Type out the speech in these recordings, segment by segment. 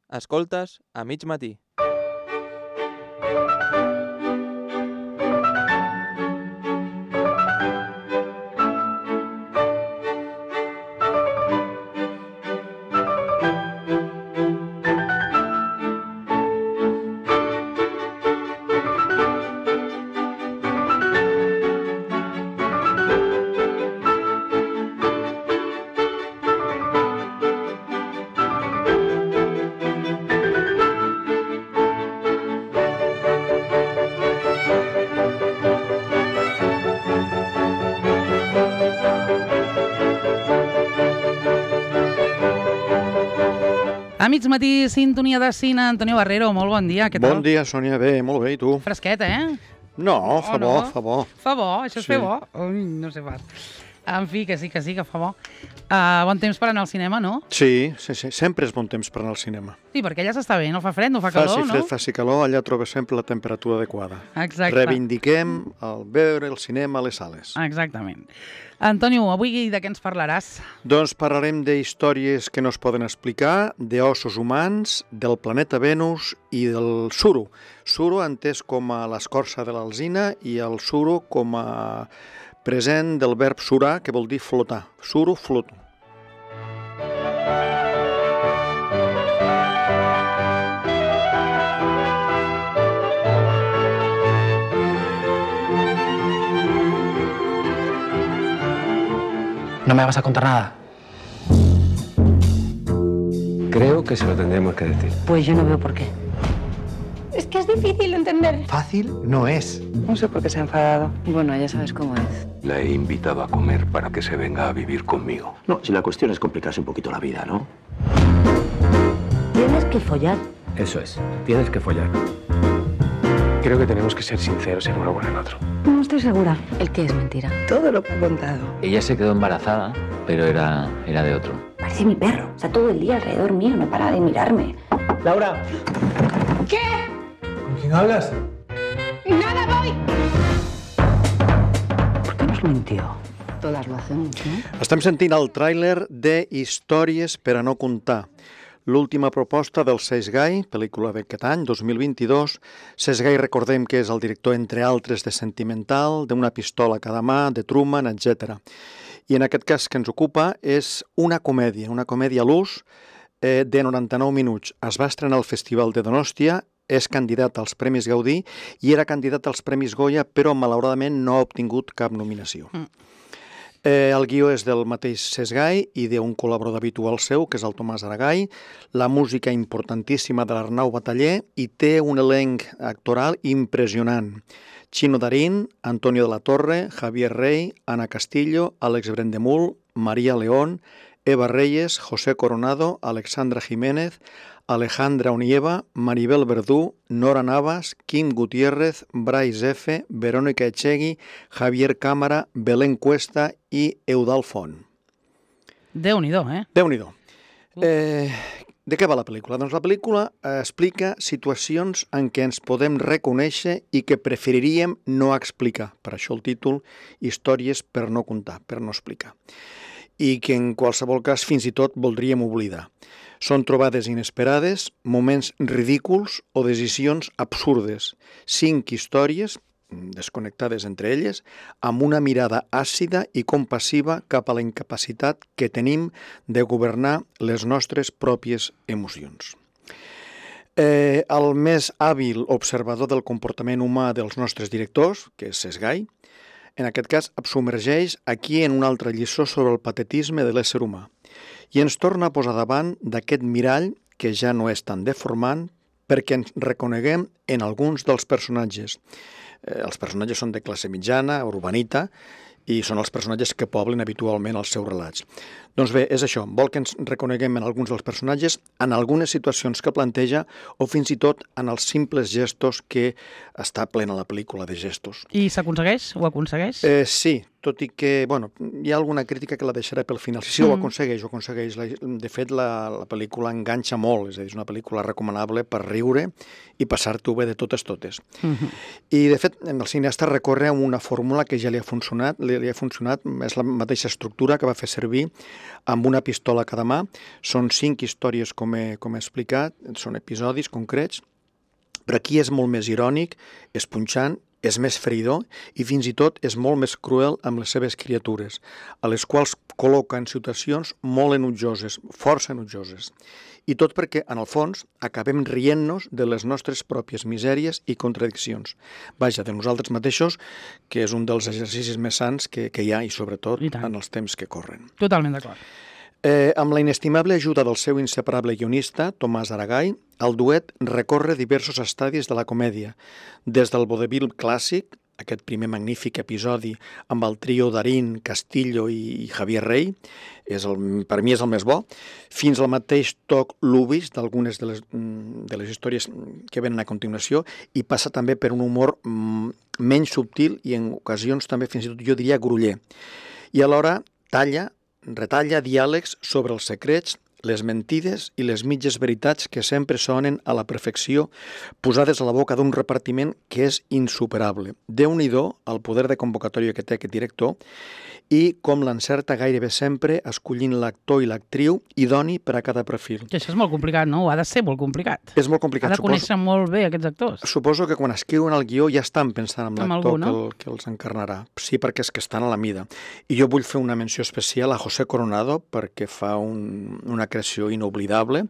Escoltes a mig matí. A mig matí, sintonia de cine. Antonio Barrero, molt bon dia, què tal? Bon dia, Sònia, bé, molt bé, i tu? Fresquet, eh? No, fa bo, fa bo. Fa bo? Això és Sí. fer bo? Ui, no sé pas. En fi, que sí, que fa bo. Bon temps per anar al cinema, no? Sí, sempre és bon temps per anar al cinema. Sí, perquè allà s'està bé, no fa fred, no fa calor, Faci fred, no? faci calor, allà trobes sempre la temperatura adequada. Exacte. Reivindiquem el veure el cinema a les sales. Exactament. Antonio, avui de què ens parlaràs? Doncs parlarem de històries que no es poden explicar, d'ossos humans, del planeta Venus i del suro. Suro entès com a l'escorça de l'alzina i el suro com a present del verb surar, que vol dir flotar. Suro, floto. ¿No me vas a contar nada? Creo que se lo tendremos que decir. Pues yo no veo por qué. Es que es difícil de entender. Fácil no es. No sé por qué se ha enfadado. Bueno, ya sabes cómo es. La he invitado a comer para que se venga a vivir conmigo. No, si la cuestión es complicarse un poquito la vida, ¿no? Tienes que follar. Eso es, tienes que follar. Creo que tenemos que ser sinceros el uno con el otro. No estoy segura. ¿El qué es mentira? Todo lo que ha contado. Ella se quedó embarazada, pero era de otro. Parece mi perro. Está todo el día alrededor mío, no para de mirarme. Laura. ¿Qué? ¿Con quién hablas? ¡Nada, voy! ¿Por qué nos mintió? Todas lo hacemos, ¿no? Estem sentint el tràiler de Històries per a no contar. L'última proposta del Cesc Gai, pel·lícula d'aquest any, 2022. Cesc Gai, recordem que és el director, entre altres, de Sentimental, d'Una pistola a cada mà, de Truman, etc. I en aquest cas que ens ocupa és una comèdia a l'ús de 99 minuts. Es va estrenar al Festival de Donòstia, és candidat als Premis Gaudí i era candidat als Premis Goya, però malauradament no ha obtingut cap nominació. El guió és del mateix Cesc Gai i d'un col·laborador habitual seu, que és el Tomàs Aragall, la música importantíssima de l'Arnau Bataller i té un elenc actoral impressionant. Chino Darín, Antonio de la Torre, Javier Rey, Ana Castillo, Àlex Brendemul, Maria León, Eva Reyes, José Coronado, Alexandra Jiménez, Alejandra Onieva, Maribel Verdú, Nora Navas, Quim Gutiérrez, Brais F., Verónica Echegui, Javier Cámara, Belén Cuesta i Eudald Font. Déu-n'hi-do, eh? Déu-n'hi-do. De què va la pel·lícula? Doncs la pel·lícula explica situacions en què ens podem reconèixer i que preferiríem no explicar. Per això el títol, Històries per no contar, per no explicar. I que en qualsevol cas fins i tot voldríem oblidar. Són trobades inesperades, moments ridículs o decisions absurdes. 5 històries, desconnectades entre elles, amb una mirada àcida i compassiva cap a la incapacitat que tenim de governar les nostres pròpies emocions. El més hàbil observador del comportament humà dels nostres directors, que és Cesc Gai, en aquest cas es submergeix aquí en una altra lliçó sobre el patetisme de l'ésser humà i ens torna a posar davant d'aquest mirall que ja no és tan deformant perquè ens reconeguem en alguns dels personatges. Els personatges són de classe mitjana, urbanita, i són els personatges que poblen habitualment els seus relats. Doncs bé, és això, vol que ens reconeguem en alguns dels personatges, en algunes situacions que planteja o fins i tot en els simples gestos que està plena la pel·lícula de gestos. I s'aconsegueix? Ho aconsegueix? Sí, tot i que, bueno, hi ha alguna crítica que la deixaré pel final. Sí, ho aconsegueix, ho aconsegueix. De fet, la pel·lícula enganxa molt, és a dir, és una pel·lícula recomanable per riure i passar-t'ho bé de totes. I, de fet, el cineasta recorre a una fórmula que ja li ha funcionat, és la mateixa estructura que va fer servir amb una pistola a cada mà. Són 5 històries, com he explicat, són episodis concrets, però aquí és molt més irònic, és punxant, és més feridor i fins i tot és molt més cruel amb les seves criatures, a les quals col·loca en situacions molt enutjoses, força enutjoses. I tot perquè, en el fons, acabem rient-nos de les nostres pròpies misèries i contradiccions. Vaja, de nosaltres mateixos, que és un dels exercicis més sants que hi ha, i sobretot en els temps que corren. Totalment d'acord. Amb la inestimable ajuda del seu inseparable guionista, Tomàs Aragall, el duet recorre diversos estadis de la comèdia, des del vodevil clàssic, aquest primer magnífic episodi amb el trio Darín, Castillo i Javier Rey, per mi és el més bo, fins al mateix toc lubis d'algunes de les històries que venen a continuació, i passa també per un humor menys subtil i en ocasions també fins i tot jo diria groller. I alhora retalla diàlegs sobre els secrets, les mentides i les mitges veritats que sempre sonen a la perfecció, posades a la boca d'un repartiment que és insuperable. Déu-n'hi-do el poder de convocatòria que té aquest director i com l'encerta gairebé sempre escollint l'actor i l'actriu idoni per a cada perfil. Que això és molt complicat, no? Ha de ser molt complicat. És molt complicat. Ha de conèixer molt bé aquests actors. Suposo que quan escriuen el guió ja estan pensant en l'actor no? que els encarnarà. Sí, perquè és que estan a la mida. I jo vull fer una menció especial a José Coronado perquè fa una creació inoblidable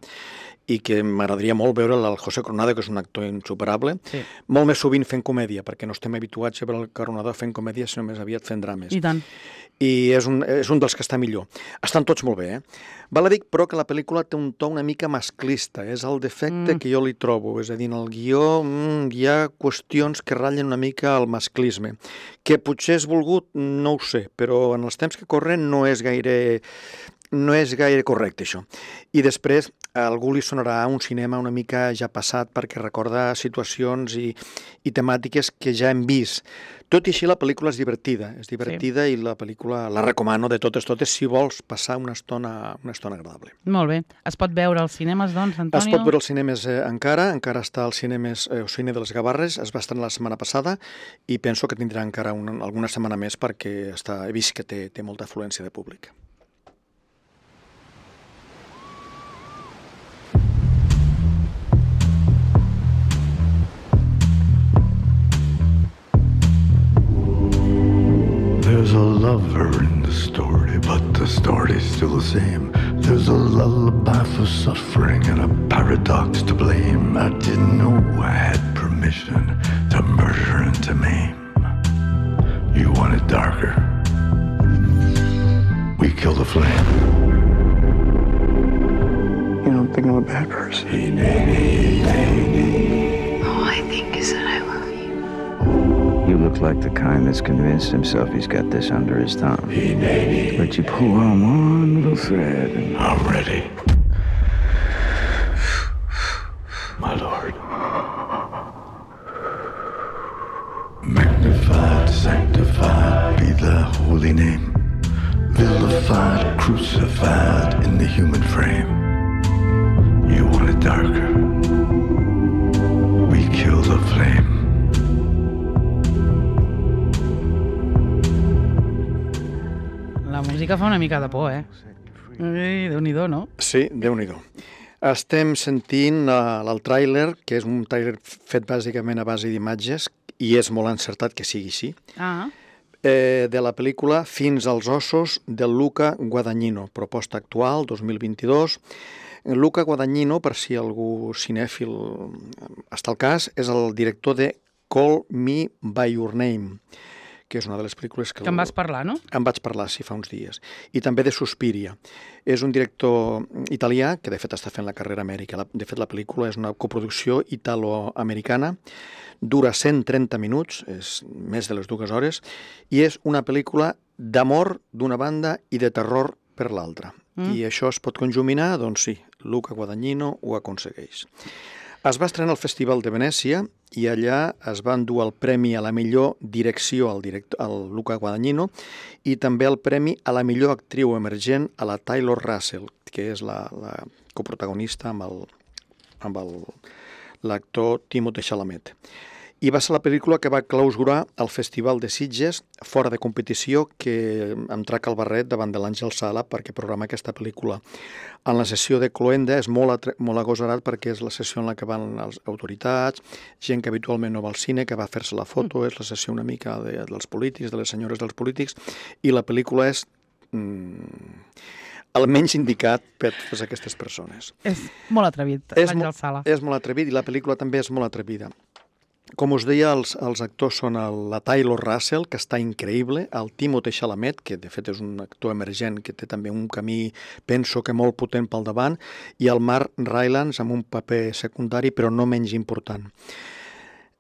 i que m'agradaria molt veure el José Coronado, que és un actor insuperable, molt més sovint fent comèdia, perquè no estem habituats a veure el Coronado fent comèdia, sinó més aviat fent drames. I tant. I és un dels que està millor. Estan tots molt bé, Val a dir, però, que la pel·lícula té un to una mica masclista, és el defecte que jo li trobo, és a dir, en el guió hi ha qüestions que ratllen una mica el masclisme, que potser és volgut, no ho sé, però en els temps que corren no és gaire correcte, això. I després, a algú li sonarà un cinema una mica ja passat perquè recorda situacions i temàtiques que ja hem vist. Tot i així, la pel·lícula és divertida i la pel·lícula la recomano de totes si vols passar una estona agradable. Molt bé. Es pot veure als cinemes, doncs, Antonio? Es pot veure als cinemes encara està al Cine de les Gavarres, es va estrenar la setmana passada i penso que tindrà encara alguna setmana més perquè he vist que té molta afluència de públic. There's a lover in the story, but the story's still the same. There's a lullaby for suffering and a paradox to blame. I didn't know I had permission to murder and to maim. You want it darker? We kill the flame. You don't think I'm a bad person? All I think is that I love you. You look like the kind that's convinced himself he's got this under his thumb. But you pull on one little thread and I'm ready. My lord. Magnified, sanctified be the holy name. Vilified, crucified in the human frame. You want it darker? We kill the flame. La música fa una mica de por, Déu-n'hi-do, no? Sí, Déu-n'hi-do. Estem sentint el tràiler, que és un tràiler fet bàsicament a base d'imatges, i és molt encertat que sigui així, de la pel·lícula Fins als ossos de Luca Guadagnino, proposta actual, 2022. Luca Guadagnino, per si algú cinèfil està al cas, és el director de Call Me By Your Name, que és una de les pel·lícules que... Que en vas parlar, no? En vaig parlar, sí, fa uns dies. I també de Suspiria. És un director italià que, de fet, està fent la carrera a Amèrica. De fet, la pel·lícula és una coproducció italo-americana, dura 130 minuts, és més de les 2 hores, i és una pel·lícula d'amor d'una banda i de terror per l'altra. I això es pot conjuminar? Doncs sí, Luca Guadagnino ho aconsegueix. Es va estrenar al Festival de Venècia i allà es va endur el premi a la millor direcció al Luca Guadagnino i també el premi a la millor actriu emergent a la Taylor Russell, que és la coprotagonista amb l'actor Timothée Chalamet. I va ser la pel·lícula que va clausurar el Festival de Sitges fora de competició, que em traca el barret davant de l'Àngel Sala perquè programa aquesta pel·lícula. En la sessió de cloenda és molt agosarat perquè és la sessió en la que van les autoritats, gent que habitualment no va al cine, que va fer-se la foto, és la sessió una mica dels polítics, de les senyores dels polítics, i la pel·lícula és el menys indicat per totes aquestes persones. És molt atrevit, l'Àngel Sala. És molt atrevit i la pel·lícula també és molt atrevida. Com us deia, els actors són la Taylor Russell, que està increïble, el Timothée Chalamet, que de fet és un actor emergent que té també un camí, penso que molt potent pel davant, i el Mark Rylance amb un paper secundari però no menys important.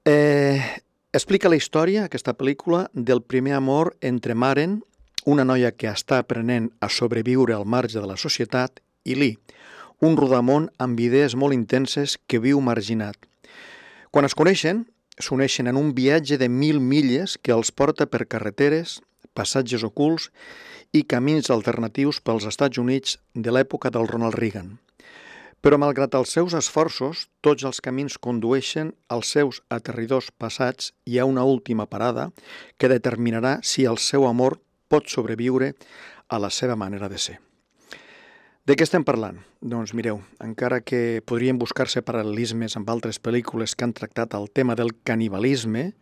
Explica la història, aquesta pel·lícula, del primer amor entre Maren, una noia que està aprenent a sobreviure al marge de la societat, i Lee, un rodamón amb idees molt intenses que viu marginat. Quan es coneixen, s'uneixen en un viatge de 1.000 milles que els porta per carreteres, passatges ocults i camins alternatius pels Estats Units de l'època del Ronald Reagan. Però malgrat els seus esforços, tots els camins condueixen als seus aterridors passats i a una última parada que determinarà si el seu amor pot sobreviure a la seva manera de ser. De què estem parlant? Doncs mireu, encara que podrien buscar-se paral·lelismes amb altres pel·lícules que han tractat el tema del canibalisme,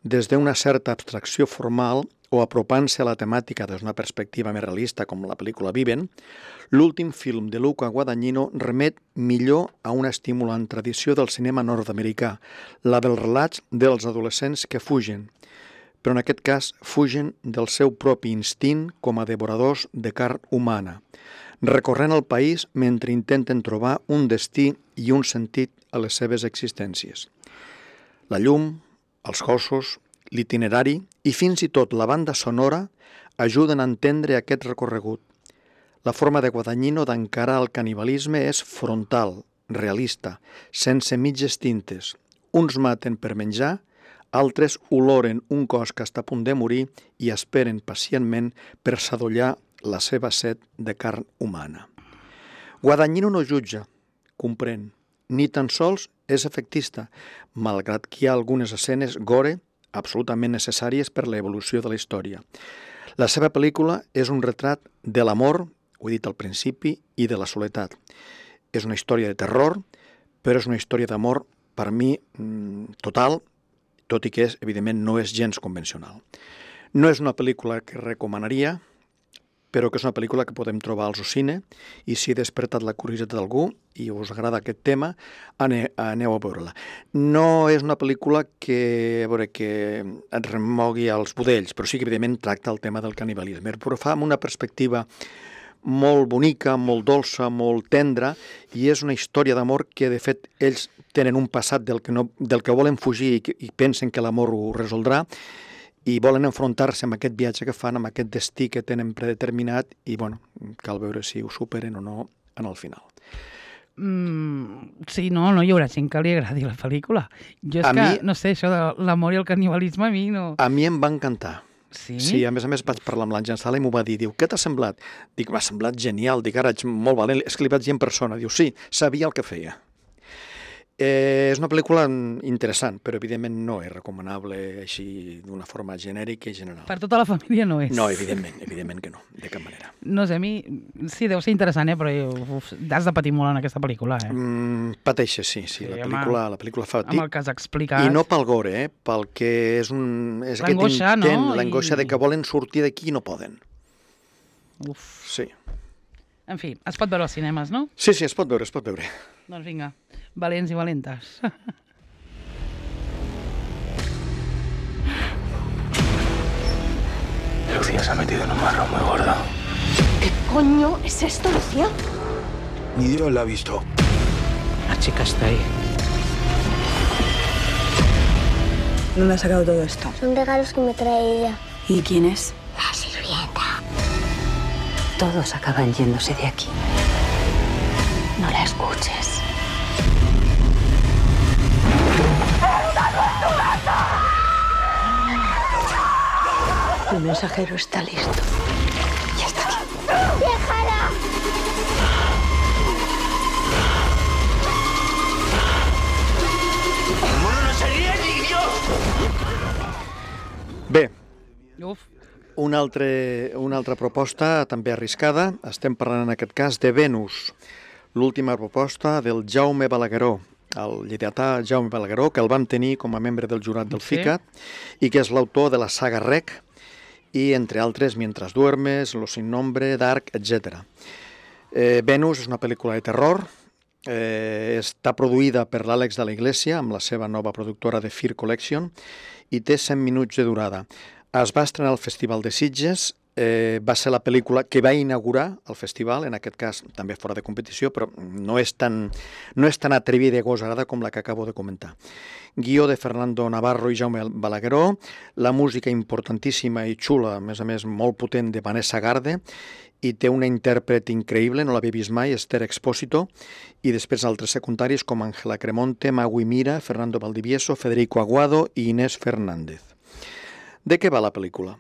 des d'una certa abstracció formal o apropant-se a la temàtica des d'una perspectiva més realista com la pel·lícula Viven, l'últim film de Luca Guadagnino remet millor a una estimulant tradició del cinema nord-americà, la dels relats dels adolescents que fugen, però en aquest cas fugen del seu propi instint com a devoradors de carn humana, recorrent el país mentre intenten trobar un destí i un sentit a les seves existències. La llum, els gossos, l'itinerari i fins i tot la banda sonora ajuden a entendre aquest recorregut. La forma de Guadagnino d'encarar el canibalisme és frontal, realista, sense mitges tintes. Uns maten per menjar, altres oloren un cos que està a punt de morir i esperen pacientment per sadollar la seva set de carn humana. Guadagnino no jutja, comprèn, ni tan sols és efectista, malgrat que hi ha algunes escenes gore absolutament necessàries per l'evolució de la història. La seva pel·lícula és un retrat de l'amor, ho he dit al principi, i de la soledat. És una història de terror, però és una història d'amor, per mi, total, tot i que, evidentment, no és gens convencional. No és una pel·lícula que recomanaria, però que és una pel·lícula que podem trobar al cine, i si he despertat la curiositat d'algú i us agrada aquest tema, aneu a veure-la. No és una pel·lícula que et remogui als budells, però sí que evidentment tracta el tema del canibalisme, però fa amb una perspectiva molt bonica, molt dolça, molt tendra, i és una història d'amor que, de fet, ells tenen un passat del que volen fugir i pensen que l'amor ho resoldrà, i volen enfrontar-se amb aquest viatge que fan, amb aquest destí que tenen predeterminat, i cal veure si ho superen o no en el final. Sí, no hi haurà gent que li agradi la pel·lícula. Jo és que, no sé, això de l'amor i el canibalisme a mi no... A mi em va encantar. Sí? Sí, a més vaig parlar amb l'Àngel Sala i m'ho va dir. Diu, què t'ha semblat? Dic, m'ha semblat genial. Dic, ara ets molt valent. És que li vaig dir en persona. Diu, sí, sabia el que feia. És una pel·lícula interessant, però evidentment no és recomanable així d'una forma genèrica i general. Per tota la família no és. No, evidentment que no, de cap manera. No sé, a mi sí, deu ser interessant, però has de patir molt en aquesta pel·lícula. Pateixes, sí, la pel·lícula fa patir. Amb el que has explicat. I no pel gore, pel que és l'angoixa, aquest intent, l'angoixa de que volen sortir d'aquí i no poden. Uf. Sí. En fi, es pot veure als cinemes, no? Sí, es pot veure. Doncs vinga, valents i valentes. Lucía se ha metido en un marrón muy gordo. ¿Qué coño es esto, Lucía? Ni Dios la ha visto. La chica está ahí. ¿Dónde ha sacado todo esto? Son regalos que me trae ella. ¿Y quién es? La sirvienta. Todos acaban yéndose de aquí. No la escuches. El mensajero está listo. Ya está aquí. ¡Déjala! ¡El mono no sería niño! Bé, Uf. una altra proposta també arriscada. Estem parlant en aquest cas de Venus, l'última proposta del Jaume Balagueró, el lleidatà Jaume Balagueró, que el vam tenir com a membre del jurat del FICAT i que és l'autor de la saga Rec i, entre altres, Mientras duermes, Los sin nombre, Dark, etc. Venus és una pel·lícula de terror, està produïda per l'Àlex de la Iglesia amb la seva nova productora de Fear Collection i té 100 minuts de durada. Es va estrenar al Festival de Sitges, va ser la pel·lícula que va inaugurar el festival, en aquest cas també fora de competició, però no és tan atrevida i agosarada com la que acabo de comentar. Guió de Fernando Navarro i Jaume Balagueró, la música importantíssima i xula, a més molt potent, de Vanessa Garde, i té una intèrpret increïble, no l'havia vist mai, Esther Expósito, i després altres secundaris com Ángela Cremonte, Magui Mira, Fernando Valdivieso, Federico Aguado i Inés Fernández. De què va la pel·lícula?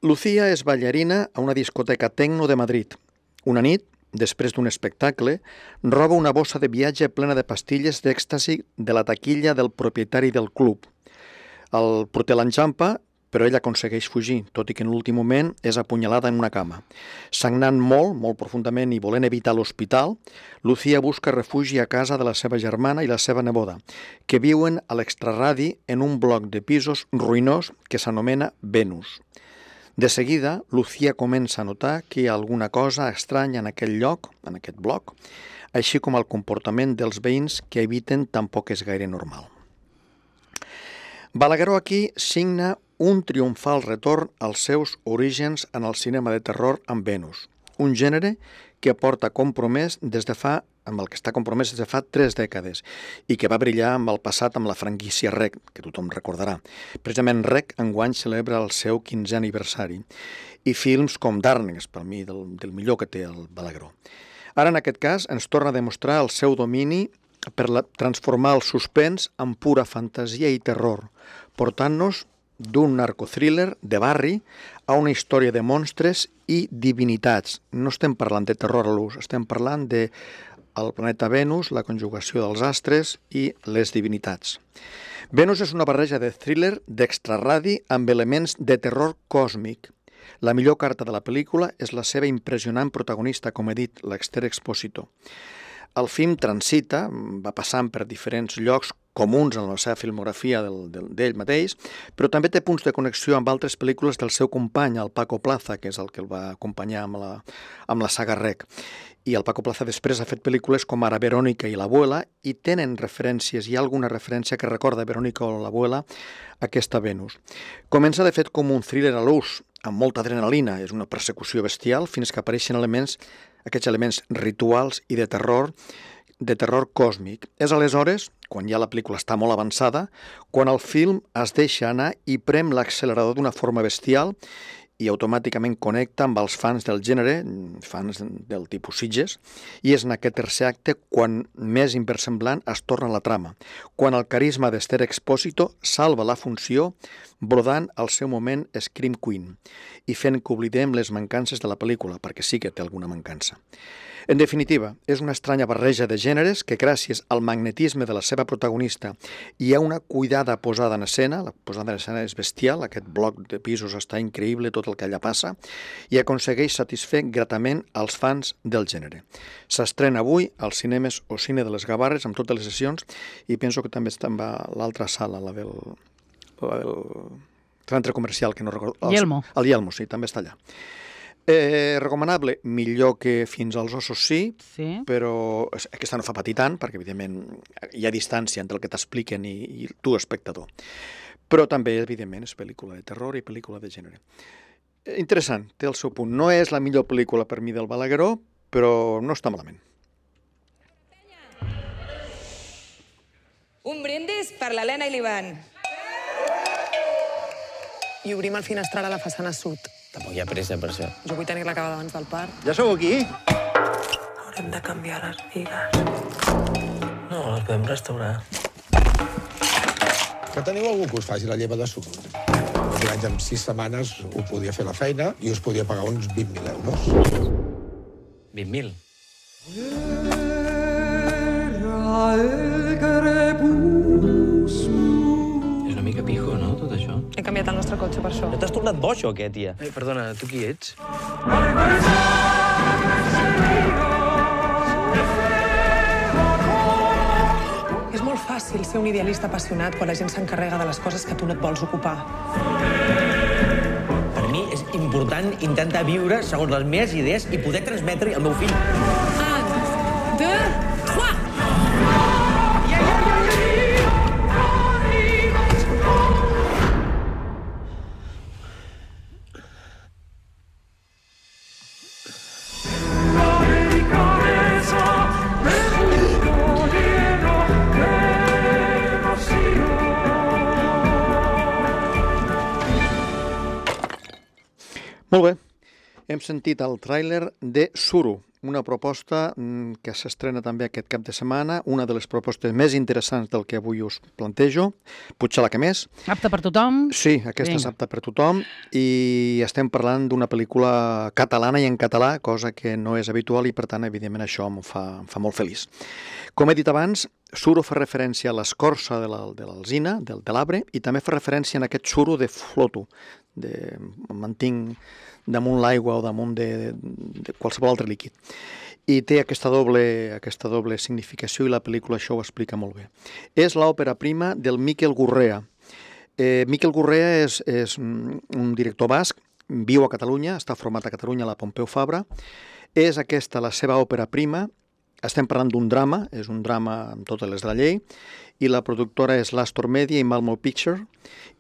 Lucía és ballarina a una discoteca tecno de Madrid. Una nit, després d'un espectacle, roba una bossa de viatge plena de pastilles d'èxtasi de la taquilla del propietari del club. El porter l'enxampa, però ella aconsegueix fugir, tot i que en l'últim moment és apunyalada en una cama. Sagnant molt profundament i volent evitar l'hospital, Lucía busca refugi a casa de la seva germana i la seva neboda, que viuen a l'extraradi en un bloc de pisos ruïnós que s'anomena Venus. De seguida, Lucía comença a notar que hi ha alguna cosa estranya en aquell lloc, en aquest bloc, així com el comportament dels veïns que eviten tampoc és gaire normal. Balagueró aquí signa un triomfal retorn als seus orígens en el cinema de terror amb Venus, un gènere que porta compromès amb el que està compromès des de fa 3 dècades i que va brillar amb el passat amb la franquícia Rec, que tothom recordarà. Precisament Rec enguany celebra el seu 15è aniversari i films com Darkness, per mi, del millor que té el Balagueró. Ara, en aquest cas, ens torna a demostrar el seu domini per transformar el suspens en pura fantasia i terror, portant-nos d'un narcothriller de barri a una història de monstres i divinitats. No estem parlant de terror a l'ús, estem parlant de el planeta Venus, la conjugació dels astres i les divinitats. Venus és una barreja de thriller d'extraradi amb elements de terror còsmic. La millor carta de la pel·lícula és la seva impressionant protagonista, com he dit, l'Esther Expósito. El film transita, va passant per diferents llocs comuns en la seva filmografia d'ell mateix, però també té punts de connexió amb altres pel·lícules del seu company, el Paco Plaza, que és el que el va acompanyar amb la saga Rec. I el Paco Plaza després ha fet pel·lícules com ara Verónica i l'Abuela i tenen referències, hi ha alguna referència que recorda Verónica o l'Abuela, aquesta Venus. Comença de fet com un thriller a l'ús, amb molta adrenalina, és una persecució bestial, fins que apareixen aquests elements rituals i de terror còsmic. És aleshores, quan ja la pel·lícula està molt avançada, quan el film es deixa anar i prem l'accelerador d'una forma bestial i automàticament connecta amb els fans del gènere, fans del tipus Sitges, i és en aquest tercer acte quan més inversemblant es torna la trama, quan el carisma d'Esther Expósito salva la funció brodant al seu moment Scream Queen i fent que oblidem les mancances de la pel·lícula, perquè sí que té alguna mancança. En definitiva, és una estranya barreja de gèneres que gràcies al magnetisme de la seva protagonista i a una cuidada posada en escena, la posada en escena és bestial, aquest bloc de pisos està increïble tot el que allà passa, i aconsegueix satisfer gratament als fans del gènere. S'estrena avui als cinemes o Cine de les Gavarres amb totes les sessions i penso que també està en l'altra sala, la del centre comercial, que no recordo. Yelmo. El Yelmo, sí, també està allà. Recomanable, millor que Fins als ossos sí, però aquesta no fa patir tant, perquè evidentment hi ha distància entre el que t'expliquen i tu, espectador. Però també, evidentment, és pel·lícula de terror i pel·lícula de gènere. Interessant, té el seu punt. No és la millor pel·lícula per mi del Balagueró, però no està malament. Un brindis per l'Helena i l'Ivan. I obrim el finestral a la façana sud. Tampoc hi ha pressa per això. Jo vull tenir-la acabada abans del part. Ja sou aquí? Haurem de canviar les bigues. No, les podem restaurar. Que teniu algú que us faci la lleva de sud? Aquest any, en 6 setmanes, ho podia fer la feina i us podia pagar uns 20.000 euros. 20.000? He canviat el nostre cotxe per això. No t'has tornat boig o què, tia? Perdona, tu qui ets? És molt fàcil ser un idealista apassionat quan la gent s'encarrega de les coses que tu no et vols ocupar. Per mi és important intentar viure segons les meves idees i poder transmetre al meu fill. 1, 2, 3! Molt bé, hem sentit el tràiler de Suro, una proposta que s'estrena també aquest cap de setmana, una de les propostes més interessants del que avui us plantejo, potser la que més. Apta per tothom? Sí, aquesta és apta per tothom i estem parlant d'una pel·lícula catalana i en català, cosa que no és habitual i per tant, evidentment, això em fa molt feliç. Com he dit abans, Suro fa referència a l'escorça de l'alzina, de l'arbre, i també fa referència a aquest suro de floto, em mantinc damunt l'aigua o damunt de qualsevol altre líquid. I té aquesta doble significació i la pel·lícula això ho explica molt bé. És l'òpera prima del Miquel Gurrea. Miquel Gurrea és un director basc, viu a Catalunya, està format a Catalunya a la Pompeu Fabra. És aquesta la seva òpera prima. Estem parlant d'un drama, és un drama amb totes les de la llei, i la productora és l'Astor Media i Malmo Picture,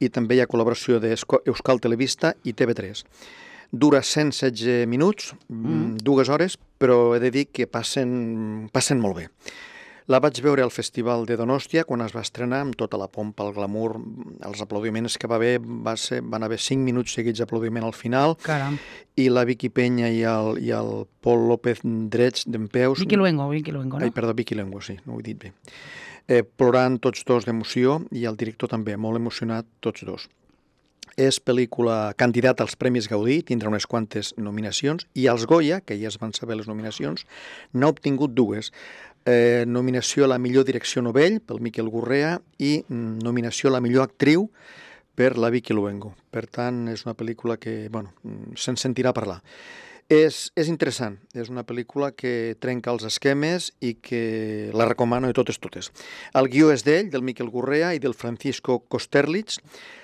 i també hi ha col·laboració d'Euskal Televista i TV3. Dura 116 minuts, 2 hores, però he de dir que passen molt bé. La vaig veure al Festival de Donòstia quan es va estrenar amb tota la pompa, el glamour, els aplaudiments que va haver, van haver 5 minuts seguits d'aplaudiment al final. Caram. I la Vicky Peña i el Pol López drets dempeus. Vicky Luengo, no? Ai, perdó, Vicky Luengo, sí, no ho he dit bé. Plorant tots dos d'emoció i el director també, molt emocionat, tots dos. És pel·lícula candidata als Premis Gaudí, tindrà unes quantes nominacions, i als Goya, que ja es van saber les nominacions, n'ha obtingut 2. Nominació a la millor direcció novell pel Miquel Gurrea i nominació a la millor actriu per la Vicky Luengo. Per tant, és una pel·lícula que, se'n sentirà parlar. És interessant, és una pel·lícula que trenca els esquemes i que la recomano de totes. El guió és d'ell, del Miquel Gurrea i del Francisco Kosterlitz.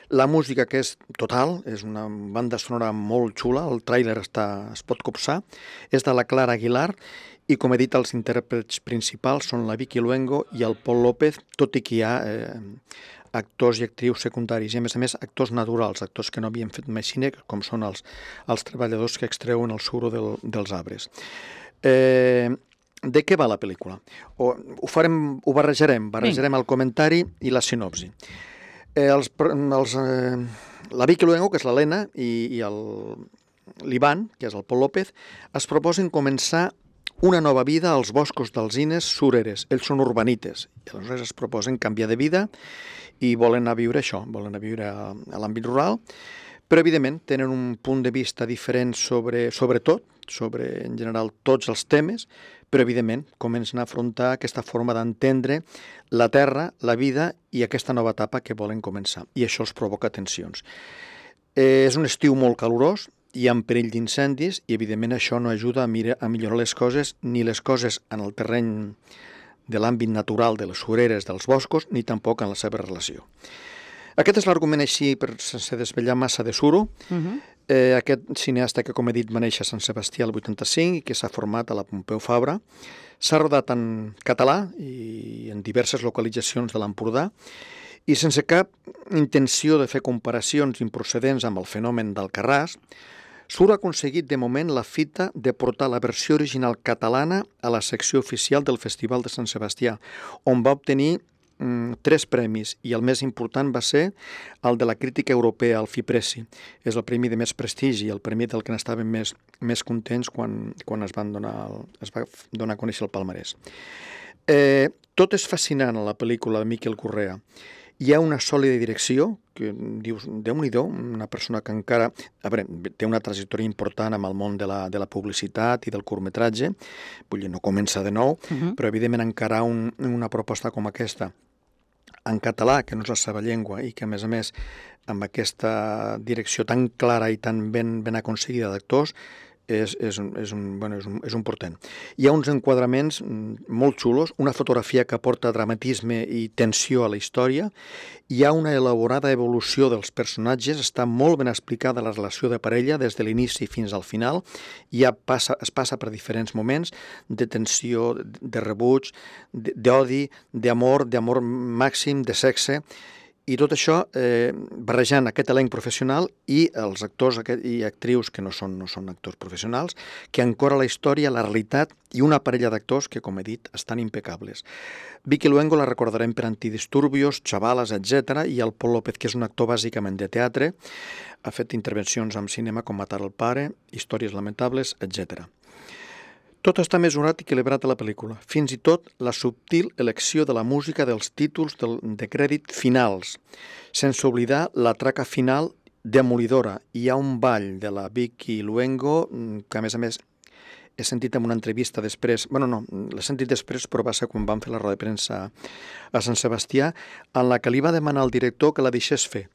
La música, que és total, és una banda sonora molt xula, el tràiler es pot copsar, és de la Clara Aguilar, i com he dit, els intèrprets principals són la Vicky Luengo i el Pol López, tot i que hi ha actors i actrius secundaris, i a més actors naturals, actors que no havien fet mai cine, com són els treballadors que extreuen el suro dels arbres. De què va la pel·lícula? Ho barrejarem el comentari i la sinopsi. La Vicky Luengo, que és l'Helena, i l'Ivan, que és el Pol López, es proposen començar una nova vida als boscos d'alzines sureres. Ells són urbanites, i aleshores es proposen canviar de vida i volen anar a viure això, volen anar a viure a l'àmbit rural, però evidentment tenen un punt de vista diferent sobre en general tots els temes, però evidentment comencen a afrontar aquesta forma d'entendre la terra, la vida i aquesta nova etapa que volen començar, i això els provoca tensions. És un estiu molt calorós, hi ha perill d'incendis i evidentment això no ajuda a millorar les coses, ni les coses en el terreny de l'àmbit natural de les sureres dels boscos, ni tampoc en la seva relació. Aquest és l'argument així, sense desvetllar massa de suro. Aquest cineasta que, com he dit, va néixer a Sant Sebastià el 85 i que s'ha format a la Pompeu Fabra. S'ha rodat en català i en diverses localitzacions de l'Empordà i sense cap intenció de fer comparacions improcedents amb el fenomen d'Alcarràs, Suro ha aconseguit de moment la fita de portar la versió original catalana a la secció oficial del Festival de Sant Sebastià, on va obtenir 3 premis, i el més important va ser el de la crítica europea, el FIPRESI. És el premi de més prestigi, el premi del que n'estàvem més contents quan es va donar a conèixer el palmarès. Tot és fascinant a la pel·lícula de Miquel Gurrea. Hi ha una sòlida direcció, que dius, Déu-n'hi-do, una persona que encara té una trajectòria important amb el món de la publicitat i del curtmetratge, vull dir, no comença de nou, però evidentment encarar una proposta com aquesta en català, que no és la seva llengua, i que, a més, amb aquesta direcció tan clara i tan ben aconseguida d'actors, és un portent. Hi ha uns enquadraments molt xulos, una fotografia que aporta dramatisme i tensió a la història, hi ha una elaborada evolució dels personatges, està molt ben explicada la relació de parella des de l'inici fins al final, es passa per diferents moments de tensió, de rebuig, d'odi, d'amor màxim, de sexe, i tot això barrejant aquest elenc professional i els actors i actrius que no són actors professionals, que ancora la història, la realitat i una parella d'actors que, com he dit, estan impecables. Vicky Luengo la recordarem per Antidisturbios, Chavalas, etc. I el Pol López, que és un actor bàsicament de teatre, ha fet intervencions en cinema com Matar el pare, Històries lamentables, etc. Tot està mesurat i equilibrat a la pel·lícula, fins i tot la subtil elecció de la música dels títols de crèdit finals, sense oblidar la traca final demolidora. Hi ha un ball de la Vicky Luengo que, a més, he sentit en una entrevista després, l'he sentit després, però va ser quan vam fer la roda de premsa a Sant Sebastià, en la que li va demanar al director que la deixés fer.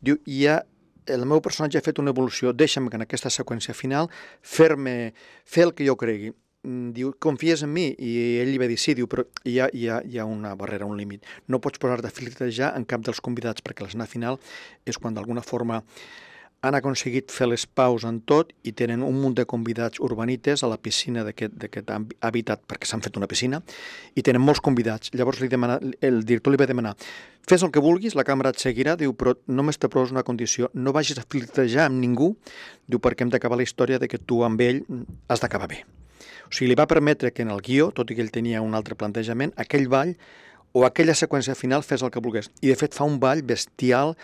Diu, el meu personatge ha fet una evolució, deixa'm que en aquesta seqüència final fer el que jo cregui. Diu, confies en mi? I ell li va dir sí, diu, però hi ha una barrera, un límit. No pots posar-te a filtrejar en cap dels convidats, perquè l'escena final és quan d'alguna forma han aconseguit fer les paus en tot i tenen un munt de convidats urbanites a la piscina d'aquest habitat, perquè s'han fet una piscina, i tenen molts convidats. Llavors el director li va demanar, fes el que vulguis, la càmera et seguirà, diu, però només te poses una condició, no vagis a filtrejar amb ningú, diu, perquè hem d'acabar la història de que tu amb ell has d'acabar bé. O sigui, li va permetre que en el guió, tot i que ell tenia un altre plantejament, aquell ball o aquella seqüència final fes el que volgués. I, de fet, fa un ball bestial,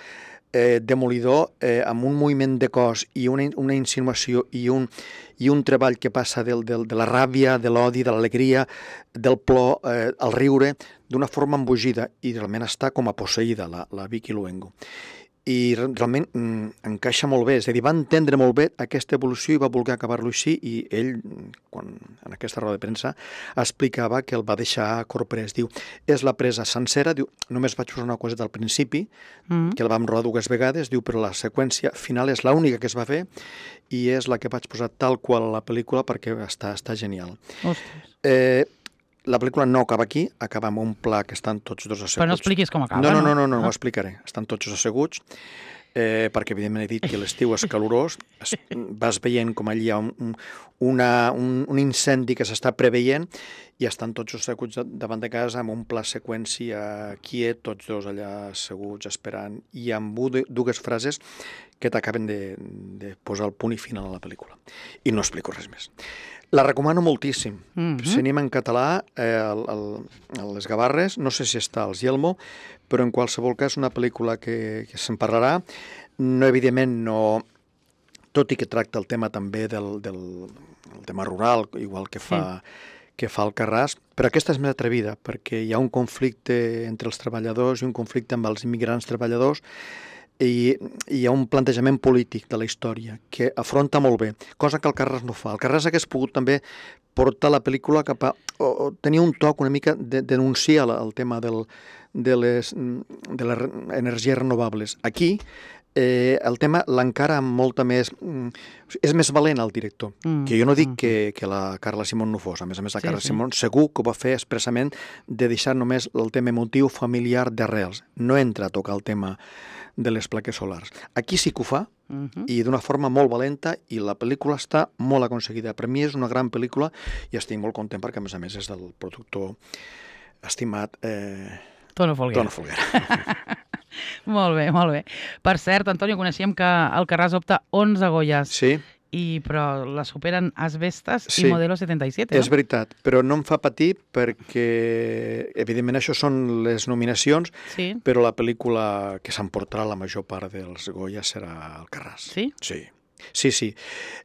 demolidor, amb un moviment de cos i una insinuació i un treball que passa de la ràbia, de l'odi, de l'alegria, del plor, al riure, d'una forma embogida. I realment està com a posseïda la Vicky Luengo. I realment encaixa molt bé, és a dir, va entendre molt bé aquesta evolució i va voler acabar-lo així, i ell, en aquesta roda de premsa, explicava que el va deixar corprès. Diu, és la presa sencera, diu, només vaig posar una coseta al principi, que la vam rodar 2 vegades, diu, però la seqüència final és l'única que es va fer i és la que vaig posar tal qual a la pel·lícula perquè està genial. Ostres. La pel·lícula no acaba aquí, acaba amb un pla que estan tots dos asseguts. Però no expliquis com acaba, no ho explicaré. Estan tots asseguts, perquè evidentment he dit que l'estiu és calorós, vas veient com allí hi ha un incendi que s'està preveient i estan tots asseguts davant de casa amb un pla seqüència quiet, tots dos allà asseguts esperant, i amb 2 frases que t'acaben de posar el punt i final a la pel·lícula. I no explico res més. La recomano moltíssim. Cinema en català, a les Gavarres, no sé si està als Yelmo, però en qualsevol cas una pel·lícula que se'n parlarà. No, evidentment, tot i que tracta el tema també del tema rural, igual que fa Alcarràs, però aquesta és més atrevida, perquè hi ha un conflicte entre els treballadors i un conflicte amb els immigrants treballadors, i hi ha un plantejament polític de la història que afronta molt bé, cosa que Alcarràs no fa. Alcarràs hagués pogut també portar la pel·lícula cap a... o tenir un toc una mica de denunciar el tema de les energies renovables. Aquí el tema l'encara amb molta més... És més valent el director, que jo no dic que la Carla Simón no fos. A més, la Carla Simón segur que ho va fer expressament de deixar només el tema emotiu familiar d'arrels. No entra a tocar el tema de les plaques solars. Aquí sí que ho fa, i d'una forma molt valenta, i la pel·lícula està molt aconseguida. Per mi és una gran pel·lícula i estic molt content perquè, a més és del productor estimat Tono Folguera. Molt bé, molt bé. Per cert, Antonio, coneixíem que Alcarràs opta 11 Goyas. Sí. Però la superen Asbestas i Modelo 77, no? És veritat, però no em fa patir perquè, evidentment, això són les nominacions, però la pel·lícula que s'emportarà la major part dels Goyas serà Alcarràs. Sí? Sí.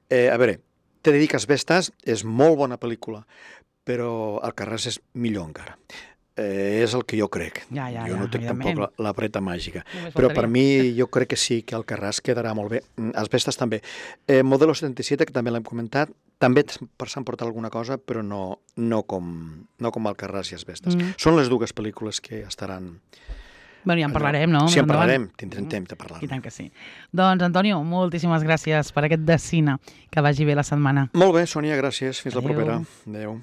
A veure, t'he de dir que Asbestas és molt bona pel·lícula, però Alcarràs és millor encara. És el que jo crec. Jo no tinc tampoc la vareta màgica. Però per mi jo crec que sí, que Alcarràs quedarà molt bé. Asbestas també. Modelo 77, que també l'hem comentat, també s'han portat alguna cosa, però no com Alcarràs i Asbestas. Són les 2 pel·lícules que estaran Bueno, ja en parlarem, no? Sí, en parlarem, tindrem temps de parlar. I tant que sí. Doncs, Antonio, moltíssimes gràcies per aquest de cine. Que vagi bé la setmana. Molt bé, Sònia, gràcies. Fins la Adéu. propera. Adéu.